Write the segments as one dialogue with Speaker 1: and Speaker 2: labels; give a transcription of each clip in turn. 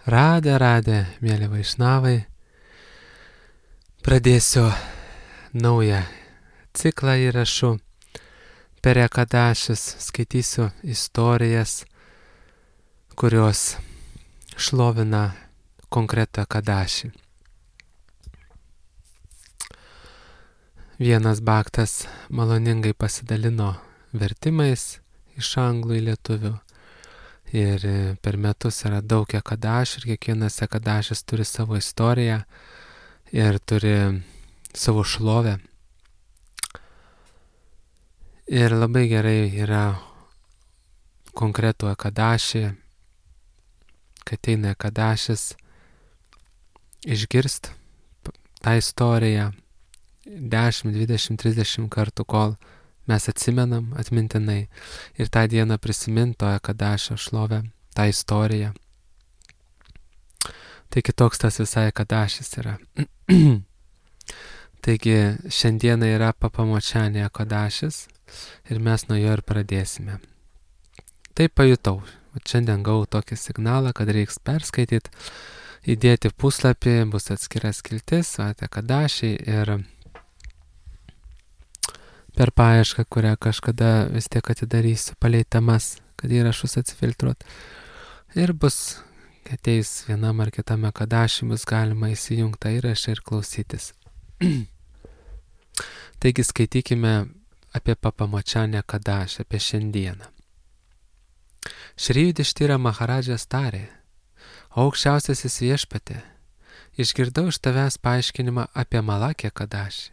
Speaker 1: Radė, mėly vaišnavai, pradėsiu naują ciklą įrašų per ekadašius, skaitysiu istorijas, kurios šlovina konkretų ekadašį. Vienas baktas maloningai pasidalino vertimais iš anglų į lietuvių. Ir per metus yra daug ekadašių ir kiekvienas ekadašis turi savo istoriją ir turi savo šlovę. Ir labai gerai yra konkretų ekadašį, kad ateina ekadašis, išgirst tą istoriją 10, 20, 30 kartų, kol mes atsimenam atmintinai ir tą dieną prisiminto ekadašio šlovę, tą istoriją. Tai kitoks tas visai ekadašis yra. Taigi šiandieną yra Papamočianė ekadašis ir mes nuo jo ir pradėsime. Tai pajutau. Šiandien gavau tokį signalą, kad reiks perskaityti, įdėti puslapį, bus atskira skiltis, ekadašiai ir per paiešką, kurią kažkada vis tiek atidarysiu palei temas, kad įrašus atsifiltruot. Ir bus, ateis vienam ar kitam ekadašiui, bus galima įsijungti tą įrašą ir klausytis. Taigi skaitykime apie Papamočianę ekadašį, apie šiandieną. Šri Judištira Maharadžas tarė: aukščiausiasis viešpatie, išgirdau iš tavęs paaiškinimą apie Malakį ekadašį,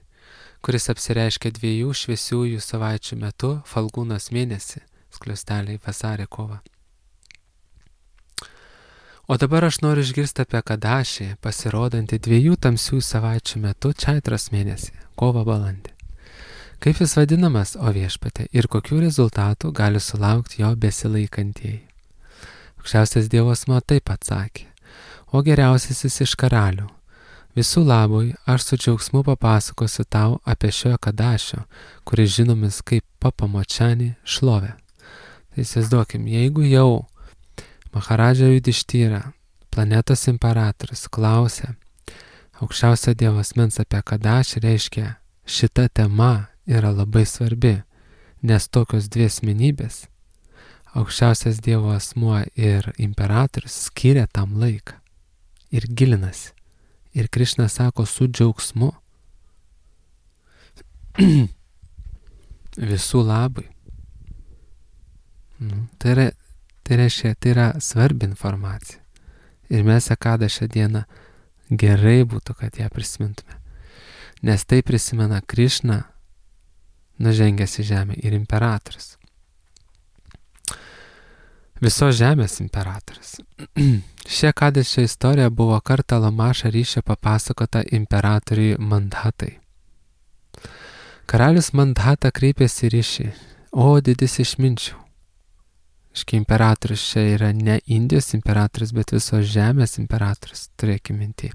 Speaker 1: kuris apsireiškia 2 šviesiųjų savaičių metu Falgūnos mėnesį, skliausteliai vasarį kovą. O dabar aš noriu išgirsti apie ekadašį, pasirodantį 2 tamsių savaičių metu Čaitros mėnesį, kovą balandį. Kaip jis vadinamas, o viešpatie, ir kokių rezultatų gali sulaukti jo besilaikantieji? Aukščiausias Dievo asmuo taip atsakė: o geriausiasis iš karalių, visų labui aš su džiaugsmu papasakosiu tau apie šio ekadašio, kuris žinomis kaip Papamočianė šlovę. Tai įsivaizduokim, jeigu jau Maharadža Judištyra, planetos imperatorius, klausia aukščiausio Dievo asmens apie ekadašį, reiškia, šita tema yra labai svarbi, nes tokios 2 asmenybės, aukščiausias Dievo asmuo ir imperatorius, skiria tam laiką ir gilinasi. Ir Krišna sako su džiaugsmu visų labui. Tai reiškia, tai yra svarbi informacija. Ir mes ekadašio dieną gerai būtų, kad ją prisimintume. Nes tai prisimena Krišna, nužengęs į žemę, ir imperatorius. Visos žemės imperatorius. Ši ekadašio istorija buvo kartą Lamaša ryšio papasakota imperatoriui Mandhatai. Karalius Mandhata kreipėsi į ryšį: o didis išminčių. Iški imperatorius čia yra ne Indijos imperatorius, bet visos žemės imperatorius, turėkime minty.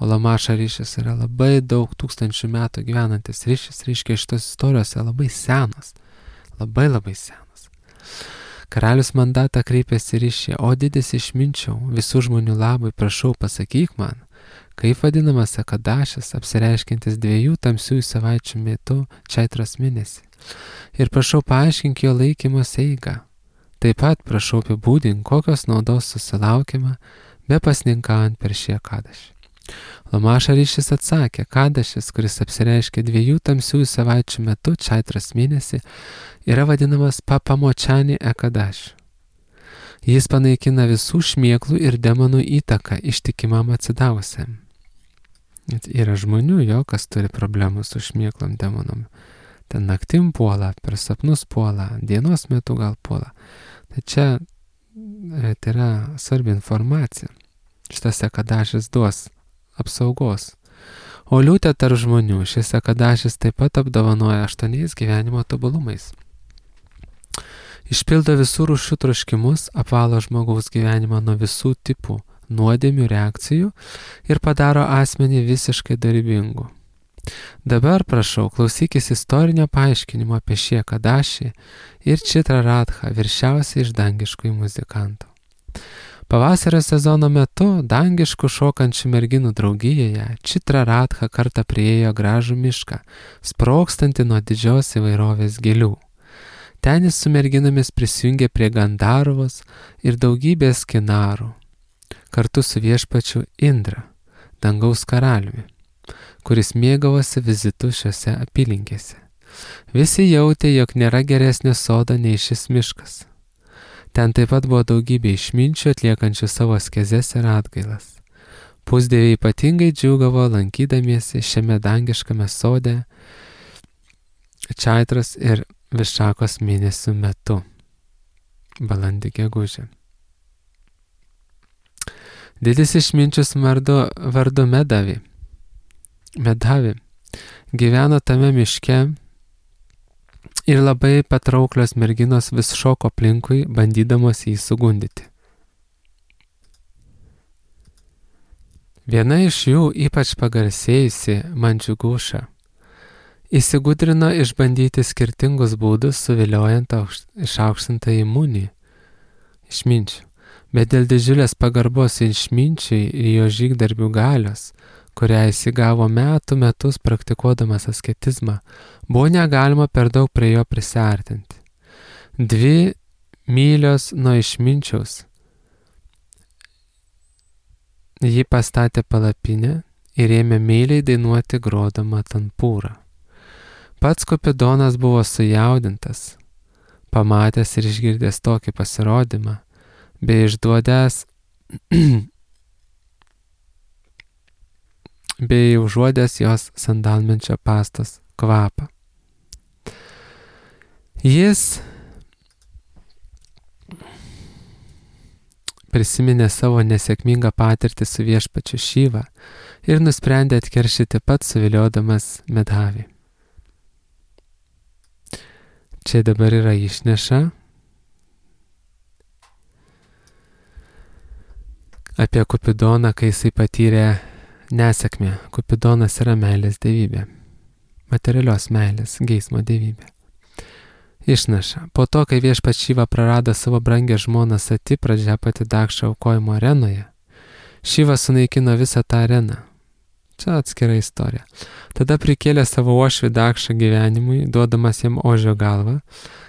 Speaker 1: O Lamaša ryšis yra labai daug tūkstančių metų gyvenantis ryšis, reiškia šitos istorijos labai senos, labai senos. Karalius Mandhata kreipėsi ryšį: o didis išminčiau, visų žmonių labui, prašau pasakyk man, kaip vadinamas ekadašis, apsireiškintis 2 tamsiųjų savaičių metu Čaitros mėnesį. Ir prašau paaiškink jo laikymosi eigą. Taip pat prašau apibūdink, kokios naudos susilaukiama be pasninkaujant per šį ekadašį. Lamaša ryšis atsakė: ekadašis, kuris apsireiškia 2 tamsiųjų savaičių metu Čaitros mėnesį, yra vadinamas Papamočianė ekadašiu. Jis panaikina visų šmėklų ir demonų įtaką ištikimam atsidavusiam. Yra žmonių, kas turi problemų su šmėklom, demonom. Ten naktim puola, per sapnus puola, dienos metu gal puola. Tai čia tai yra svarbi informacija. Šitas ekadašis duos apsaugos. O liūtė tarp žmonių, šis ekadašis taip pat apdovanoja 8 gyvenimo tobulumais. Išpildo visų rūšių troškimus, apvalo žmogaus gyvenimą nuo visų tipų nuodėmių reakcijų ir padaro asmenį visiškai dorybingu. Dabar prašau, klausykis istorinio paaiškinimo apie šį ekadašį ir Čitra Radha, viršiausiai iš dangiškųjų muzikantų. Pavasario sezono metu dangiškų šokančių merginų draugijoje Čitra Radha kartą priėjo gražų mišką, sprogstantį nuo didžios įvairovės gėlių. Ten jis su merginomis prisijungė prie Gandarvos ir daugybės kinarų, kartu su viešpačiu Indra, dangaus karaliumi, kuris mėgavosi vizitu šiose apylinkėse. Visi jautė, jog nėra geresnio sodo nei šis miškas. Ten taip pat buvo daugybė išminčių atliekančių savo askezes ir atgailas. Pusdieviai ypatingai džiūgavo lankydamiesi šiame dangiškame sode Čaitros ir Višakos mėnesių metu, balandį gegužę. Didis išminčius vardu Medhavi gyveno tame miške ir labai patrauklios merginos vis šoko aplinkui, bandydamos jį sugundyti. Viena iš jų, ypač pagarsėjusi Mandžiuguša, įsigudrino išbandyti skirtingus būdus, suviliojant išaukštintąjį Munį, išminčių, bet dėl didžiulės pagarbos išminčiui ir jo žygdarbių galios, kurią jis įgavo metus praktikuodamas asketizmą, buvo negalima per daug prie jo prisiartinti. 2 mylios nuo išminčiaus ji pastatė palapinę ir ėmė meiliai dainuoti grodama tanpūrą. Pats Kupidonas buvo sujaudintas, pamatęs ir išgirdęs tokį pasirodymą, bei išduodęs bei užuodęs jos sandalmenčio pastos kvapą. Jis prisiminė savo nesėkmingą patirtį su viešpačiu Šiva ir nusprendė atkeršyti pats, suviliodamas Medhavį. Čia dabar yra išneša apie Kupidoną, kai jisai patyrė nesėkmę. Kupidonas yra meilės dievybė, materialios meilės, geismo dievybė. Išnaša. Po to, kai viešpats Šiva prarado savo brangę žmoną Sati, Pradžiapati Dakša aukojimo arenoje, Šiva sunaikino visą tą areną. Čia atskira istorija. Tada prikėlė savo uošvį Dakšą gyvenimui, duodamas jam ožio galvą,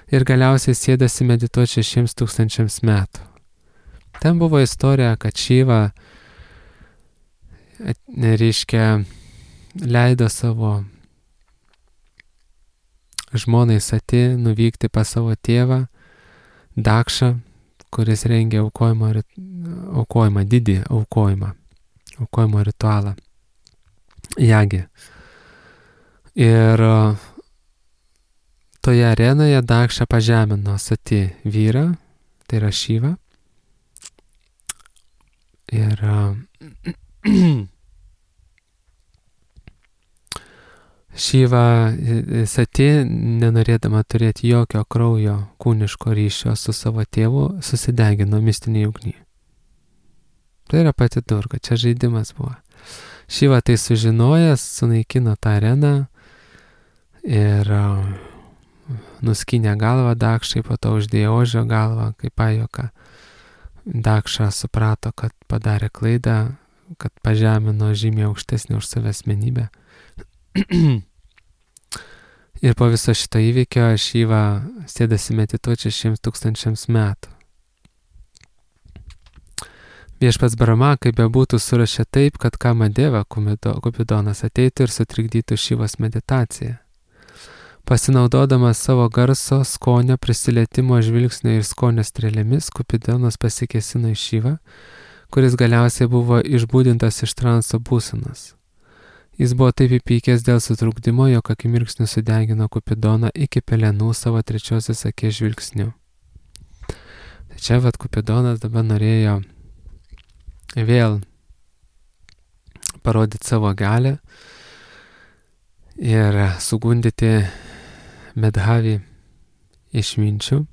Speaker 1: ir galiausiai sėdasi medituoti 6,000 metų. Ten buvo istorija, kad Šiva leido savo žmonai Sati nuvykti pas savo tėvą Dakšą, kuris rengė aukojimą, didį aukojimo ritualą, jagį. Ir toje arenoje Dakša pažemino Sati vyrą, tai yra Šyvą. Ir Šiva Sati, nenorėdama turėti jokio kraujo kūniško ryšio su savo tėvu, susidegino mistinėje ugnyje. Tai yra pati Durga, čia žaidimas buvo. Šiva tai sužinojęs, sunaikino tą areną ir nuskynė galvą Dakšai, po to uždėjo ožio galvą, kaip pajuoką. Dakša suprato, kad padarė klaidą, kad pažemino žymiai aukštesnį už save asmenybę. Ir po viso šito įvykio Šiva sėdasi medituoti 6,000 metų. Viešpats Brahma, kaip bebūtų, surašė taip, kad Kamadeva Kupidonas ateitų ir sutrikdytų Šivos meditaciją. Pasinaudodamas savo garso, skonio, prisilietimo, žvilgsnio ir skonio strėlėmis, Kupidonas pasikėsino į Šivą, kuris galiausiai buvo išbūdintas iš transo būsenos. Jis buvo taip įpykęs dėl sutrukdymo, jog akimirksniu sudegino Kupidoną iki pelenų savo trečiosios akies žvilgsniu. Tai čia Kupidonas dabar norėjo vėl parodyti savo galią ir sugundyti Medhavį išminčių.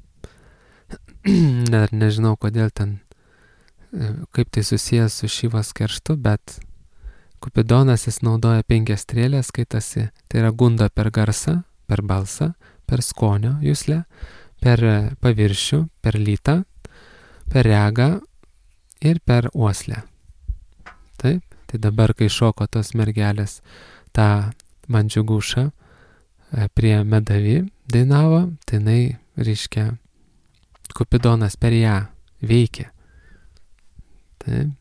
Speaker 1: Net nežinau, kodėl ten, kaip tai susijęs su Šivos kerštu, bet Kupidonas jis naudoja 5 strėlės, skaitasi, tai yra gunda per garsą, per balsą, per skonio juslę, per paviršių, per lytą, per regą ir per uoslę. Taip, tai dabar, kai šoko tos mergelės tą Mandžiugušą prie Medavi dainavo, tai jinai, reiškia, Kupidonas per ją veikė. Taip.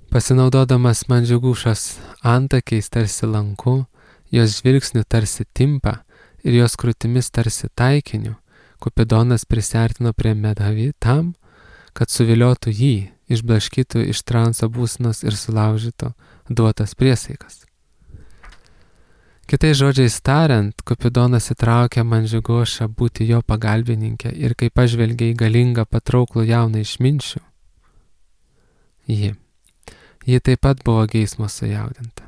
Speaker 1: Pasinaudodamas Mandžiugušos antakiais tarsi lanku, jos žvilgsniu tarsi timpa ir jos krūtimis tarsi taikiniu, Kupidonas prisiartino prie Medavi tam, kad suviliotų jį, išblaškytų iš transo būsenos ir sulaužytų duotas priesaikas. Kitais žodžiais tariant, Kupidonas įtraukė Mandžiugušą būti jo pagalbininkė ir kai pažvelgė į galingą patrauklų jauną išminčių, ji taip pat buvo geismo sujaudinta.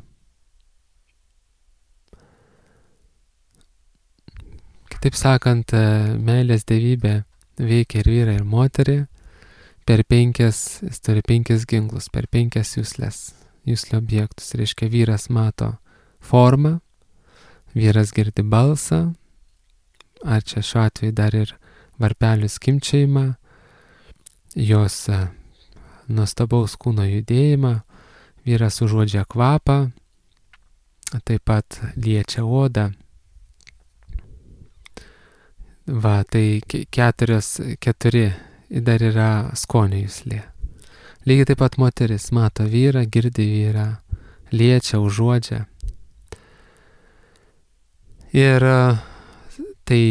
Speaker 1: Kitaip sakant, meilės dievybė veikia ir vyrą, ir moterį jis turi 5 ginklus, per 5 juslio objektus. Reiškia, vyras mato formą, vyras girdi balsą, ar čia šiuo atveju dar ir varpelių skimbčiojimą, jos nuostabaus kūno judėjimą, vyras užuodžia kvapą, taip pat liečia odą. Va, tai 4 dar yra skonio juslė. Lygiai taip pat moteris mato vyrą, girdi vyrą, liečia, užuodžia. Ir tai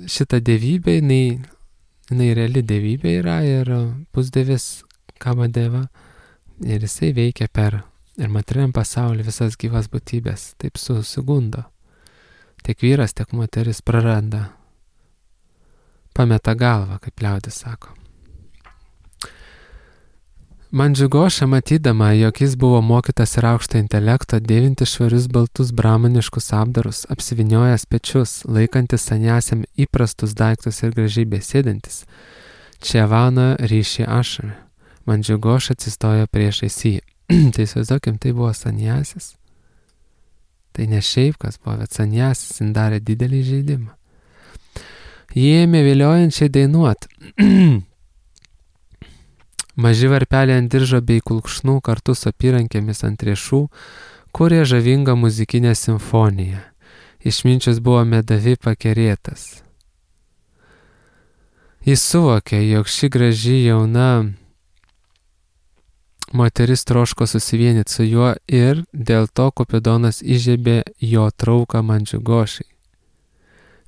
Speaker 1: šita dievybė, jinai reali dievybė yra ir pusdievis Kamadeva, ir jisai veikia per ir materialiam pasaulį visas gyvas būtybės, taip susigundo. Tiek vyras, tiek moteris praranda, pameta galvą, kaip liaudis sako. Mandžiugoša, matydama, jog jis buvo mokytas ir aukšto intelekto, dėvinti švarius baltus bramaniškus apdarus, apsivyniojęs pečius, laikantis saniasiam įprastus daiktus ir gražiai besėdantis, Čevano ryšį ašarą. Mandžiugoša atsistojo priešais jį. Tai įsivaizduokim, tai buvo saniasis. Tai ne šiaip kas buvo, bet saniasis, jis darė didelį žaidimą. Jie ėmė viliojančiai dainuot. Maži varpeliai ant diržo bei kulkšnų kartu su apyrankėmis ant riešų kūrė žavingą muzikinę simfoniją. Išminčius buvo Medavi pakerėtas. Jis suvokė, jog ši graži jauna moteris troško susivienyti su juo ir dėl to Kupidonas įžiebė jo trauką Mandžiugošai,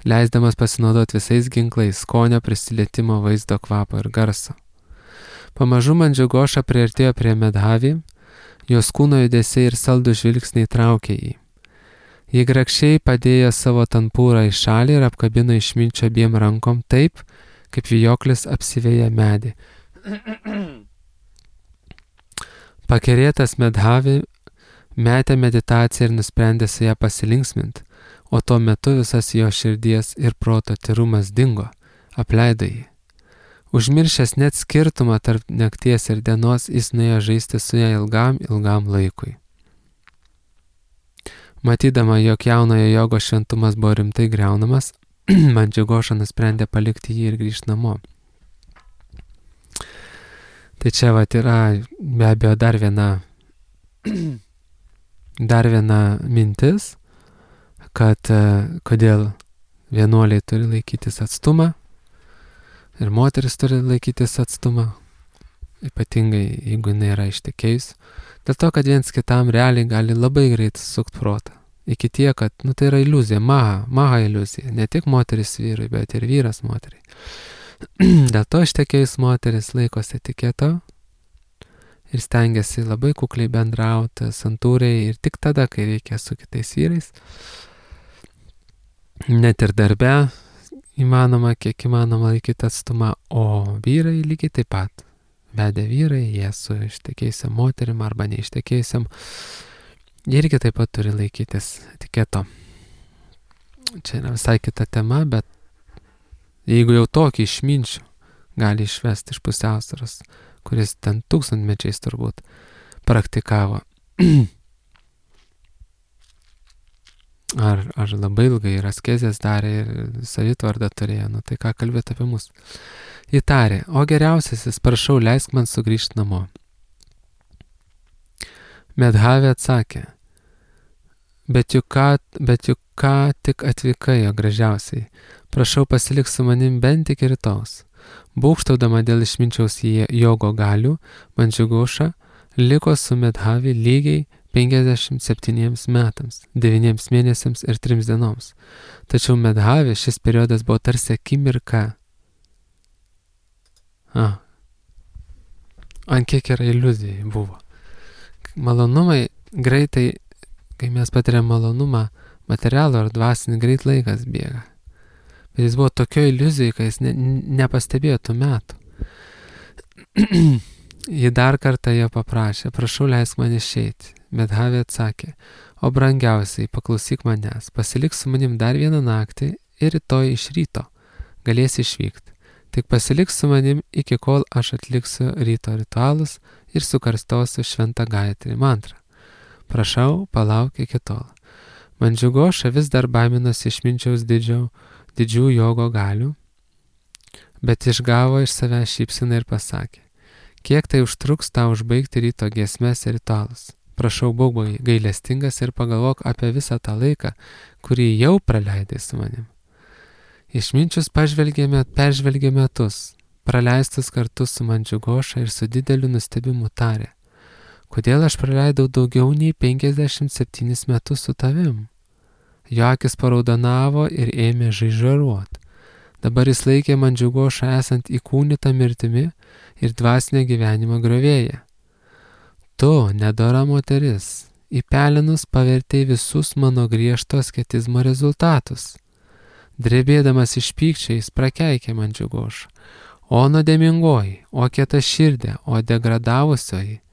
Speaker 1: leisdamas pasinaudoti visais ginklais skonio, prisilietimo, vaizdo, kvapo ir garso. Pamažu Mandžiugoša priartėjo prie Medavi, jos kūno judesiai ir saldų žvilgsniai traukė jį. Ji grakščiai padėjo savo tanpūrą į šalį ir apkabino išminčio abiem rankom taip, kaip vijoklis apsiveja medį. Pakerėtas Medavi metė meditaciją ir nusprendė su ją pasilinksminti, o tuo metu visas jo širdies ir proto tyrumas dingo, apleido jį. Užmiršęs net skirtumą tarp nakties ir dienos, jis nuėjo žaisti su ją ilgam laikui. Matydama, jog jaunojo jogo šventumas buvo rimtai griaunamas, Mandžiugoša nusprendė palikti jį ir grįžti namo. Tai čia vat yra be abejo dar viena mintis, kad kodėl vienuoliai turi laikytis atstumą ir moteris turi laikytis atstumą, ypatingai jeigu jinai yra ištekėjus, dėl to, kad viens kitam realiai gali labai greit sukt protą. Iki tiek, kad tai yra iliuzija, maha iliuzija, ne tik moteris vyrui, bet ir vyras moteriai. Dėl to ištekėjus moteris laikosi etiketo ir stengiasi labai kukliai bendrauti, santūriai ir tik tada, kai reikia su kitais vyrais. Net ir darbe įmanoma, kiek įmanoma laikyti atstumą, o vyrai lygiai taip pat. Vedę vyrai, jie su ištekėjusiam moterim arba neištekėjusiam, irgi taip pat turi laikytis etiketo. Čia yra visai kita tema, bet jeigu jau tokį išminčių gali išvesti iš pusiausvyros, kuris ten tūkstantmečiais turbūt praktikavo, ar labai ilgai ir askezės darė ir savitvardą turėjo, nu tai ką kalbėti apie mus. Įtarė, o geriausiasis, prašau, leisk man sugrįžti namo. Medhavė atsakė, bet juk ką tik atvykai, jo gražiausiai, prašau pasilik su manim bent iki rytaus. Būgštaudama dėl išminčiaus jogo galių, Mandžiugoša liko su Medhavi lygiai 57 metams, 9 mėnesiams ir 3 dienoms. Tačiau Medhavi šis periodas buvo tarsi akimirka. Ant kiek yra iliuzijai buvo. Malonumai greitai, kai mes patiriam malonumą, materialų ar dvasinį, greit laikas bėga. Bet jis buvo tokio iliuzijai, kai jis nepastebėjo tų metų. Ji dar kartą jo paprašė, prašau leisk man išeiti. Medhavė atsakė, o brangiausiai, paklausyk manęs, pasilik su manim dar vieną naktį ir rytoj iš ryto galėsi išvykti. Tik pasilik su manim iki kol aš atliksiu ryto ritualus ir sukarstosiu šventą Gayatri mantrą. Prašau, palauk iki tol. Mandžiugoša vis dar baiminosi išminčiaus didžių jogo galių, bet išgavo iš savęs šypseną ir pasakė, kiek tai užtruks tau užbaigti ryto giesmes ir ritualus. Prašau, būk gailestingas ir pagalvok apie visą tą laiką, kurį jau praleidai su manim. Išminčius peržvelgė metus, praleistus kartu su Mandžiugoša ir su dideliu nustebimu tarė, kodėl aš praleidau daugiau nei 57 metus su tavim. Jo akis paraudonavo ir ėmė žaižaruot. Dabar jis laikė Mandžiugošą esant įkūnytą mirtimi ir dvasinio gyvenimo griovėja. Tu, nedora moteris, į pelenus pavertei visus mano griežto asketizmo rezultatus. Drebėdamas iš pykčio jis prakeikė Mandžiugošą. O nuodėmingoji, o kieta širdė, o degradavusioji,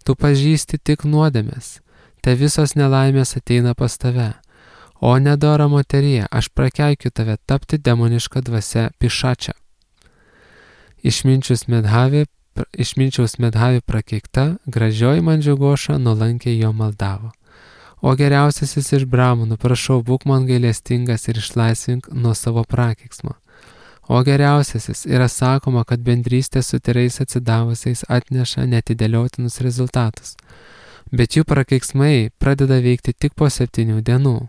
Speaker 1: tu pažįsti tik nuodėmes, te visos nelaimės ateina pas tave. O nedora moterie, aš prakeikiu tave tapti demoniška dvasia pišačia. Išminčiaus Medhavi prakeikta, gražioji Mandžiugoša nuolankiai jo maldavo. O geriausiasis iš bramonų, prašau, būk man gailestingas ir išlaisvink nuo savo prakeiksmo. O geriausiasis yra sakoma, kad bendrystė su tyrais atsidavusiais atneša netidėliotinus rezultatus, bet jų prakeiksmai pradeda veikti tik po 7 dienų.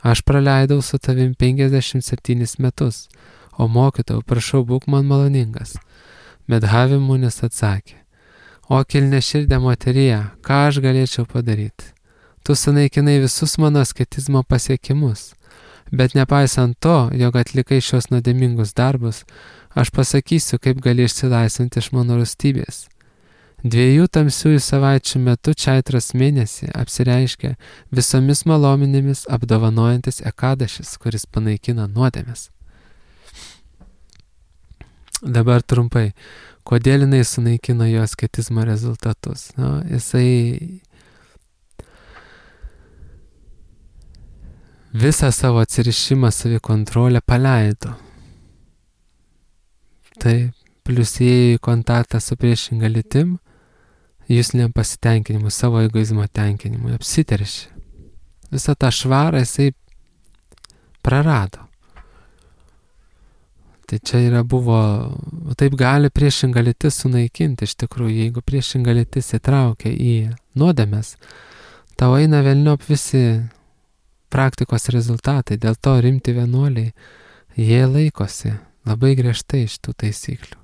Speaker 1: Aš praleidau su tavim 57 metus, o mokytojau, prašau, būk man maloningas. Medhavi munis atsakė, o kilniaširdė moterie, ką aš galėčiau padaryti? Tu sunaikinai visus mano asketizmo pasiekimus, bet nepaisant to, jog atlikai šios nuodėmingus darbus, aš pasakysiu, kaip gali išsilaisvinti iš mano rūstybės. 2 tamsiųjų savaičių metu Čaitros mėnesį apsireiškia visomis malominėmis apdovanojantis Ekadašis, kuris panaikina nuodėmes. Dabar trumpai, kodėl jinai sunaikino jo asketizmo rezultatus? Jisai visą savo atsirišimą, savikontrolę paleido. Tai plius įėjo į kontaktą su priešinga lytim, jūsliniam pasitenkinimu, savo egoizmo tenkinimu, apsiteršė. Visą tą švarą jisai prarado. Tai čia taip gali priešinga lytis sunaikinti, iš tikrųjų, jeigu priešinga lytis įtraukia į nuodėmes, tau eina velniop visi praktikos rezultatai, dėl to rimti vienuoliai, jie laikosi labai griežtai iš tų taisyklių.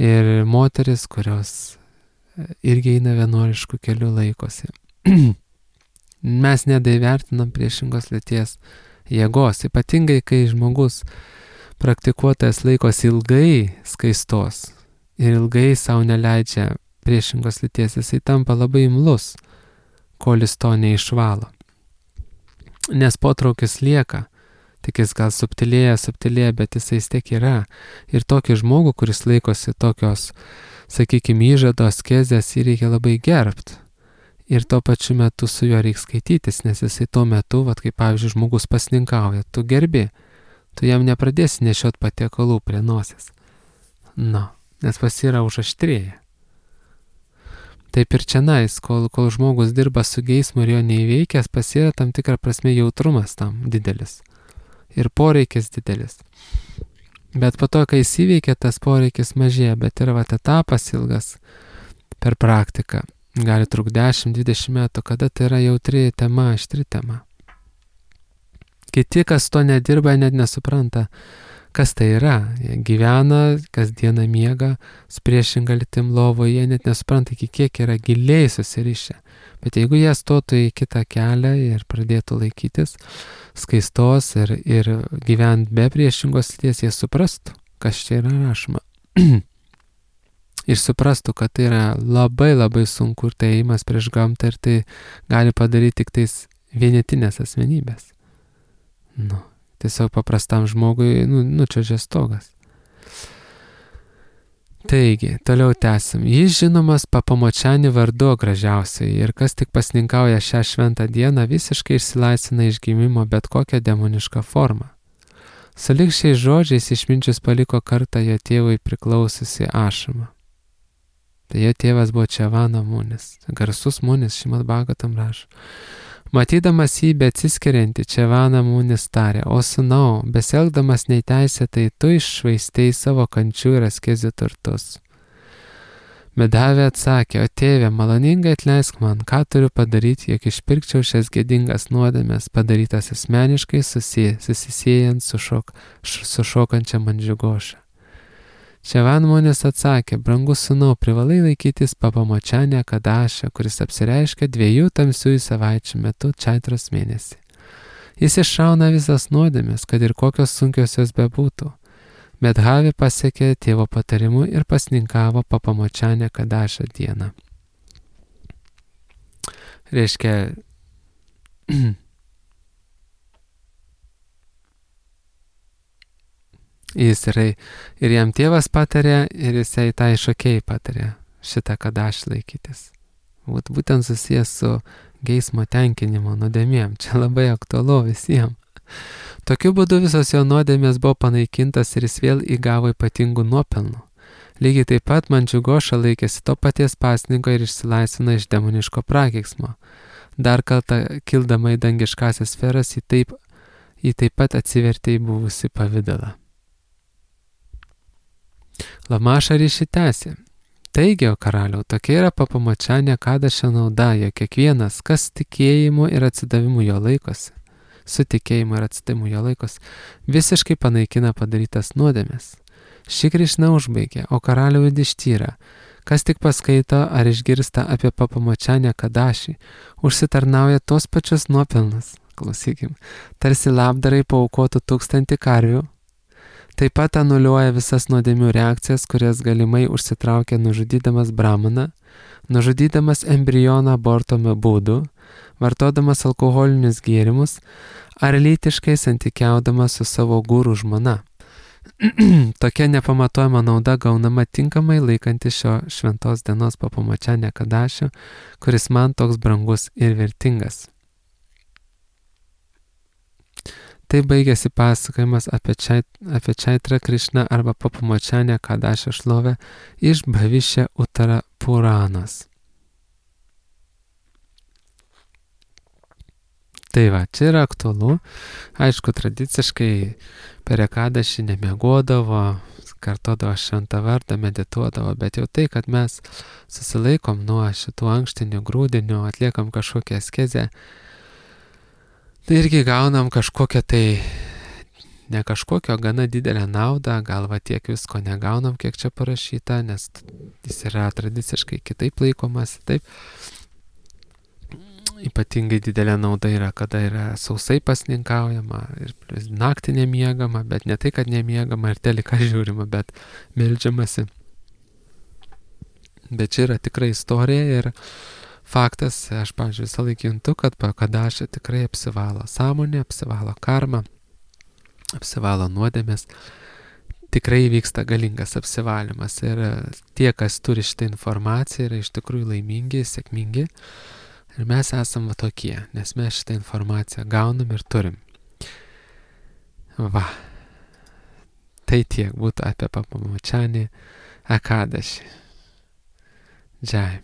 Speaker 1: Ir moteris, kurios irgi eina vienuoliškų kelių, laikosi. Mes nedaivertinam priešingos lyties jėgos, ypatingai kai žmogus praktikuotojas laikosi ilgai skaistos ir ilgai savo neleidžia priešingos lyties, jisai tampa labai imlus, kol jis to neišvalo. Nes potraukis lieka, tik jis gal subtilėja, bet jisai tiek yra. Ir tokį žmogų, kuris laikosi tokios, sakykime, įžado askezės, jį reikia labai gerbti. Ir tuo pačiu metu su juo reikia skaitytis, nes jisai tuo metu, kaip pavyzdžiui, žmogus pasninkauja, tu gerbi, tu jam nepradėsi nešiot patiekalų prie nosies. Nes pas yra užaštrėję. Taip ir čianais, kol žmogus dirba su geismu ir jo neįveikęs, pas yra tam tikrą prasme jautrumas tam didelis ir poreikis didelis. Bet po to, kai jis įveikia, tas poreikis mažėja, bet yra etapas ilgas per praktiką. Gali trukti 10-20 metų, kada tai yra jautri tema, aštri tema. Kiti, kas to nedirba, net nesupranta, kas tai yra. Jie gyvena, kasdieną miega, su priešinga lytim lovoje, jie net nesupranta, iki kiek yra giliai susirišę. Bet jeigu jie stotų į kitą kelią ir pradėtų laikytis skaistos ir gyventi be priešingos lyties, jie suprastų, kas čia yra rašoma. Ir suprastų, kad tai yra labai labai sunku ir tai ėjimas prieš gamtą ir tai gali padaryti tik tais vienetinės asmenybės. Tiesiog paprastam žmogui nučiuožia stogas. Taigi, toliau tęsim. Jis žinomas Papamočiani vardu gražiausiai ir kas tik pasninkauja šią šventą dieną, visiškai išsilaisvina iš gimimo bet kokią demonišką formą. Sulig šiais žodžiais išminčius paliko kartą jo tėvui priklausiusi ašramą. Tai jo tėvas buvo Čavana Munis, garsus Munis, Šrimad Bhagavatam rašo. Matydamas jį beatsiskiriantį, Čavana Munis tarė, o sūnau, besielgdamas neteisėtai, tu iššvaistei savo kančių ir askezių turtus. Medhavė atsakė, o tėve, maloningai atleisk man, ką turiu padaryti, jog išpirkčiau šias gėdingas nuodėmes, padarytas asmeniškai susisiejant su šokančia Mandžiugoša. Čavana Munis atsakė, brangus sūnau, privalai laikytis Papamočiani Ekadašio, kuris apsireiškia 2 tamsiųjų savaičių metu Čaitros mėnesį. Jis iššauna visas nuodėmes, kad ir kokios sunkios jos bebūtų. Medhavė pasiekė tėvo patarimu ir pasninkavo Papamočiani Ekadašio dieną. Reiškia, jis yra ir jam tėvas patarė, ir jisai tai šokėjai patarė šitą Kadašį laikytis. Būtent susijęs su geismo tenkinimo nuodėmėm. Čia labai aktualu visiems. Tokiu būdu visos jo nuodėmės buvo panaikintas ir jis vėl įgavo ypatingų nuopelnų. Lygiai taip pat Mandžiugoša laikėsi to paties pasninko ir išsilaisvino iš demoniško prakeiksmo. Dar kartą kildama į dangiškasias sferas, jį taip pat atsivertė į buvusį pavidalą. Lamaša ryšį tęsė. Taigi, o karaliau, tokia yra Papamočiani Ekadašio nauda, jog kiekvienas, kas tikėjimu ir atsidavimu jo laikosi, su tikėjimu ir atsidavimu jo laikosi, visiškai panaikina padarytas nuodėmes. Ši Krišna užbaigė, o karaliau Judištyra, kas tik paskaito ar išgirsta apie Papamočiani Ekadašį, užsitarnauja tos pačius nuopelnus, klausykim, tarsi labdarai paaukotų 1000 karvių. Taip pat anuliuoja visas nuodėmių reakcijas, kurias galimai užsitraukia nužudydamas brahmaną, nužudydamas embrioną aborto būdu, vartodamas alkoholinius gėrimus ar lytiškai santykiaudamas su savo gūrų žmona. Tokia nepamatuojama nauda gaunama tinkamai laikantis šio šventos dienos Papamočiani Ekadašio, kuris man toks brangus ir vertingas. Tai baigėsi pasakojimas apie Čaitrą Krišną arba Papamočiani Ekadašio šlovę iš Bhavišya Uttara Puranos. Tai va, čia yra aktualu. Aišku, tradiciškai per Ekadašį nemiegodavo, kartodavo šventą vardą, medituodavo, bet jau tai, kad mes susilaikom nuo šitų ankštinių grūdinių, atliekam kažkokią askezę, tai irgi gaunam kažkokią ne kažkokio gana didelę naudą, gal va tiek visko negaunam, kiek čia parašyta, nes jis yra tradiciškai kitaip laikomas, taip. Ypatingai didelė nauda yra, kada yra sausai pasninkaujama ir naktį nemiegama, bet ne tai, kad nemiegama ir teliką žiūrima, bet meldžiamasi. Bet čia yra tikrai istorija ir faktas, aš, pavyzdžiui, visą laiką juntu, kad Ekadašio tikrai apsivalo sąmonė, apsivalo karma, apsivalo nuodėmės. Tikrai vyksta galingas apsivalymas ir tie, kas turi šitą informaciją, yra iš tikrųjų laimingi, sėkmingi. Ir mes esame tokie, nes mes šitą informaciją gaunam ir turim. Va. Tai tiek būtų apie Papamočiani Ekadašį. Džai.